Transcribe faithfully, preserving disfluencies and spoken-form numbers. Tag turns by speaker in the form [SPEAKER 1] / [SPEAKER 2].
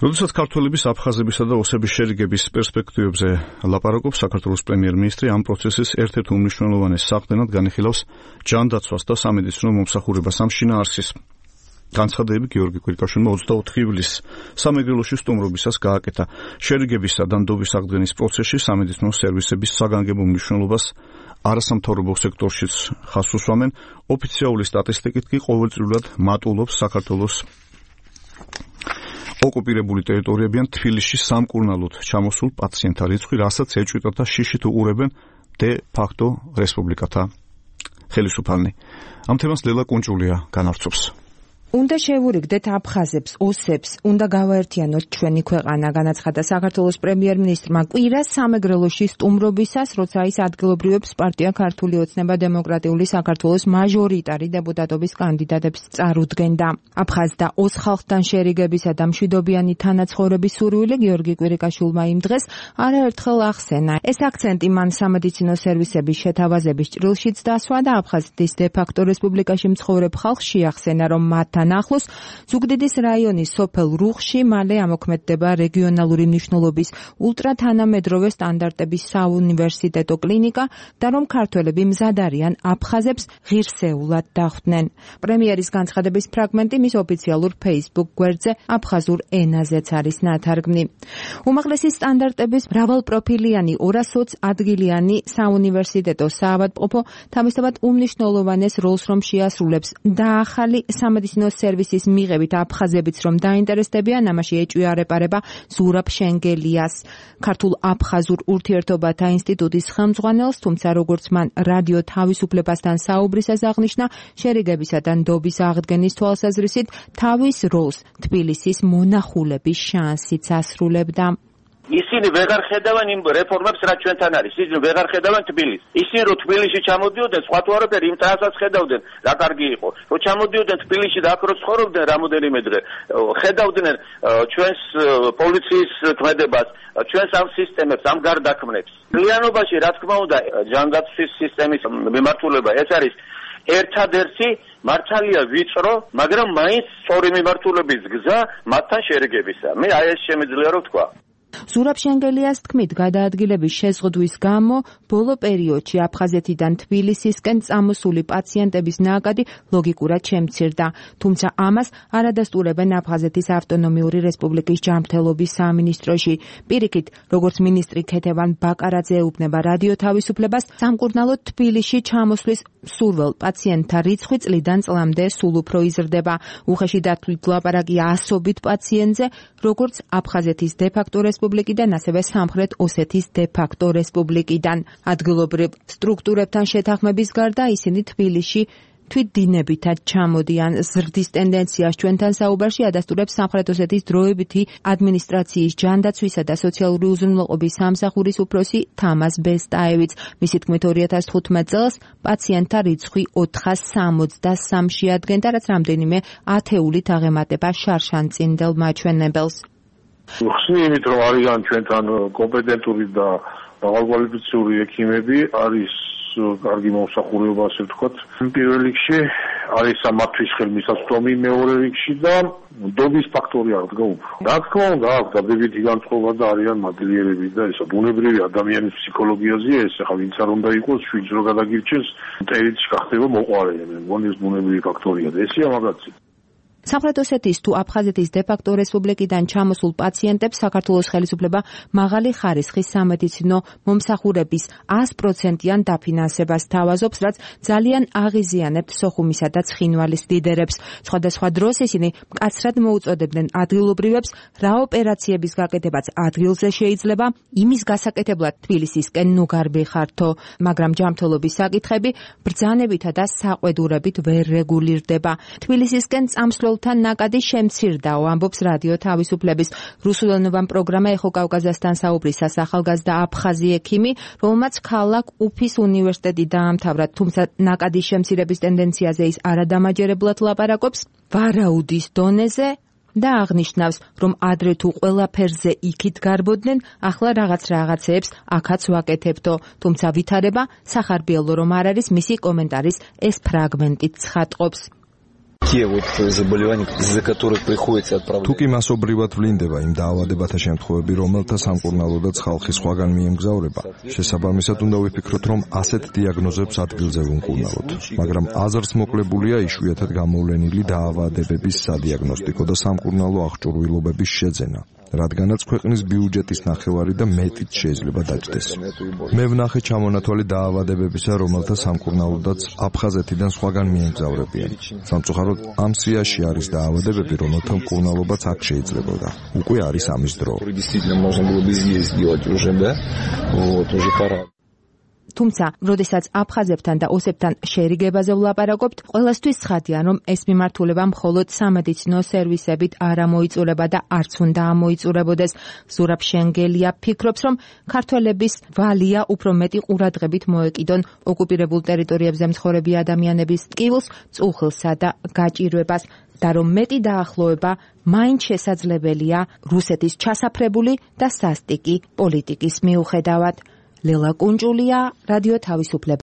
[SPEAKER 1] როდესაც ქართველების აფხაზებისა და ოსების შერიგების პერსპექტივებზე ლაპარაკობს, საქართველოს პრემიერ-მინისტრი ამ პროცესის ერთ-ერთ უმნიშვნელოვანეს საყრდენად განიხილავს ჯანდაცვას და სამედიცინო მომსახურებას ამ შინაარსის. განცხადები გიორგი კვირიკაშვილმა ოცდაოთხი ივლისს სამეგრელოში სტუმრობისას გააკეთა. შერიგებისა და ნდობის აღდგენის პროცესში სამედიცინო სერვისების საგანგებო მნიშვნელობას არასამთავრობო სექტორშიც ხაზს უსვამენ. ოფიციალური სტატისტიკით კი ყოველწლიურად მატულობს საქართველოს ოკუპირებული ტერიტორიებიდან თბილისში სამკურნალოდ ჩამოსულ პაციენტთა რიცხვი, რასაც ეჭვიტათ და შიშით უყურებენ დე ფაქტო რესპუბლიკათა ხელისუფალნი. ამ თემას ლელა კუნჭულია განავრცობს.
[SPEAKER 2] უნდა შევურიგდეთ აფხაზებს, ოსებს, უნდა გავაერთიანოთ ჩვენი ქვეყანა, განაცხადა საქართველოს პრემიერ-მინისტრმა კვირას სამეგრელოში სტუმრობისას, როცა ის ადგილობრივებს პარტია ქართული ოცნება დემოკრატიული საქართველოს მაჟორიტარი დეპუტატობის კანდიდატებს წარუდგენდა. აფხაზ და ოს ხალხთან შერიგებისა და მშვიდობიანი თანაცხოვრების სურვილი გიორგი კვირიკაშვილმა იმ დღეს არაერთხელ ახსენა. ეს აქცენტი მან სამედიცინო სერვისების შეთავაზების ჭრილშიც დასვა და აფხაზეთის დე-ფაქტო რესპუბლიკაში მცხოვრებ ხალხს შეახსენა, რომ მათ ახლოს ზუგდიდის რაიონის სოფელ რუხში მალე ამოქმედდება რეგიონალური მნიშვნელობის ულტრათანამედროვე სტანდარტების საუნივერსიტეტო კლინიკა და რომ ქართველები მზად არიან აფხაზებს ღირსეულად დახვდნენ. პრემიერის განცხადების ფრაგმენტი მის ოფიციალურ Facebook გვერდზე აფხაზურ ენაზეც არის ნათარგმნი. უმაღლესი სტანდარტების მრავალპროფილიანი ორასოც ადგილიანი საუნივერსიტეტო საავადმყოფო თავისთავად უმნიშვნელოვანეს როლს რომ შეასრულებს და ახალი სამედიცინო სერვისის მიღებით აფხაზებიც რომ დაინტერესდებიან, ამაში ეჭვი არ ეპარება ზურაბ შენგელიას, ქართულ აფხაზურ ურთიერთობათა ინსტიტუტის ხელმძღვანელს, თუმცა როგორც მან რადიო თავისუფლებასთან საუბრისას აღნიშნა, შერიგებისა და ნდობის აღდგენის თვალსაზრისით თავის როლს თბილისის მონახულების შანსიც ასრულებდა.
[SPEAKER 3] ისინი ვეღარ ხედავენ იმ რეფორმებს, რაც ჩვენთან არის. ისინი ვეღარ ხედავენ თბილისს. ისინი რო თბილისში ჩამოდიოდნენ, სხვა თუ არაფერი იმ ტრანსას ხედავდნენ, რა კარგი იყო. რო ჩამოდიოდნენ თბილისში და აქ რო ცხოვრობდნენ რამოდენიმე დღე, ხედავდნენ ჩვენს პოლიციის ქმედებას, ჩვენს ამ სისტემებს, ამ გარდაქმნებს. realობაში, რა თქმა უნდა, ჯანდაცვის სისტემის მიმართულება ეს არის ერთადერთი მართალია ვიწრო, მაგრამ მაინც სწორი მიმართულების გზა მათთან შერიგებისა. მე აი ეს შემიძლია რომ ვთქვა.
[SPEAKER 2] ზურაბ შენგელიას თქმით, გადაადგილების შეზღუდვის გამო ბოლო პერიოდში აფხაზეთიდან თბილისისკენ წამოსული პაციენტების ნაკადი ლოგიკურად შემცირდა, თუმცა ამას არ ადასტურებენ აფხაზეთის ავტონომიური რესპუბლიკის ჯანმრთელობის სამინისტროში. პირიქით, როგორც მინისტრი ქეთევან ბაკარაძე ეუბნება რადიო თავისუფლებას, სამკურნალოდ თბილისში ჩამოსვლის სურველ პაციენტთა რიცხვი წლიდან წლამდე სულ უფრო იზრდება. უხეში დათვლით ლაპარაკია ასობით პაციენტზე, როგორც აფხაზეთის დე-ფაქტო რესპუბლიკიდან, ასევე სამხრეთ ოსეთის დე-ფაქტო რესპუბლიკიდან. ადგილობრივ სტრუქტურებთან შეთანხმების გარდა ისინი თბილისში თვითდინებითად ჩამოდიან. ზრდის ტენდენციას ჩვენთან საუბარში ადასტურებს სამხრეთ ოსეთის დროებითი ადმინისტრაციის ჯანდაცვისა და სოციალური უზრუნველყოფის სამსახურის უფროსი თამაზ ბესტაევიც. მისი თქმით, ორი ათას თხუთმეტ წელს პაციენტთა რიცხვი ოთხას სამოცდასამში ადგენდა, რაც რამდენიმე ათეულით აღემატება შარშანწინდელ მაჩვენებელს.
[SPEAKER 4] ხსნით რომ არიან ჩვენთან კომპეტენტური და მაღალკვალიფიციური ექიმები, არის კარგი მომსახურება, ასე ვთქვათ. პირველ რიგში არის სამათთვის ხელმისაწვდომი, მეორე რიგში და ნდობის ფაქტორი აღდგა უფრო. რა თქმა უნდა, აქვს დადებითი განწყობა და არიან მადლიერები და ესა ბუნებრივი ადამიანის ფსიქოლოგიაზეა ეს, ახლა ვინც არ უნდა იყოს, შვიდს რო გადაგირჩენს, მტერიც ხდება მოყვარე. მე მგონი ეს ბუნებრივი ფაქტორია და ესეა მაგაცი.
[SPEAKER 2] სამხრეთ ოსეთის თუ აფხაზეთის დე-ფაქტო რესპუბლიკიდან ჩამოსულ პაციენტებს საქართველოს ხელისუფლება მაღალი ხარისხის სამედიცინო მომსახურების ას პროცენტიან დაფინანსებას თავაზობს, რაც ძალიან აღიზიანებთ სოხუმისა და ცხინვალის ლიდერებს. სხვადასხვა დროს ისინი მკაცრად მოუწოდებდნენ ადგილობრივებს, რა ოპერაციების გაკეთებაც ადგილზე შეიძლება, იმის გასაკეთებლად თბილისისკენ ნუ გარბიხართო, მაგრამ ჯანმრთელობის საკითხები ბრძანებითა და საყვედურებით ვერ რეგულირდება. თბილისისკენ წამსვლელ თან ნაკადი შემცირდაო, ამბობს რადიო თავისუფლების რუსულენოვან პროგრამა ეხო კავკაზასთან საუბრისას ახალგაზრდა აფხაზი ექიმი, რომელმაც ქალაქ უფის უნივერსიტეტი დაამთავრა, თუმცა ნაკადის შემცირების ტენდენციაზე ის არადამაჯერებლად ლაპარაკობს ვარაუდის დონეზე და აღნიშნავს, რომ ადრე თუ ყველაფერზე იქით გარბოდნენ, ახლა რაღაც რაღაცეებს აქაც ვაკეთებთო, თუმცა ვითარება სახარბიელო რომ არ არის, მისი კომენტარის ეს ფრაგმენტით ცხადყოფს.
[SPEAKER 5] თუკი მასობრივად ვლინდება იმ დაავადებათა შემთხვევები, რომელთა სამკურნალოდაც ხალხი სხვაგან მიემგზავრება, შესაბამისად უნდა ვიფიქროთ, რომ ასეთ დიაგნოზებს ადგილზე ვუმკურნალოთ. მაგრამ აზრს მოკლებულია იშვიათად გამოვლენილი დაავადებების სადიაგნოსტიკო და სამკურნალო აღჭურვილობების შეძენა. რადგანაც ქვეყნის ბიუჯეტის ნახევარი და მეტიც შეიძლება დაჯდეს. მე ვნახე ჩამონათვალი დაავადებებისა, რომელთა სამკურნალოდაც აფხაზეთიდან სხვაგან მიემგზავრებიან. სამწუხაროდ, ამ სიაში არის დაავადებები, რომელთა მკურნალობაც აქ შეიძლებოდა. უკვე არის ამის დრო.
[SPEAKER 2] თუმცა, როდესაც აფხაზებთან და ოსებთან შერიგებაზე ვლაპარაკობთ, ყველასთვის ცხადია, რომ ეს მიმართულება მხოლოდ სამედიცინო სერვისებით არ ამოიწურება და არც უნდა ამოიწურებოდეს. ზურაბ შენგელია ფიქრობს, რომ ქართველების ვალია უფრო მეტი ყურადღებით მოეკიდონ ოკუპირებულ ტერიტორიებზე მცხოვრები ადამიანების ტკივილს, წუხილსა და გაჭირვებას და რომ მეტი დაახლოება მაინც შესაძლებელია რუსეთის ჩასაფრებული და სასტიკი პოლიტიკის მიუხედავად. ლელა კუნჭულია, რადიო თავისუფლება.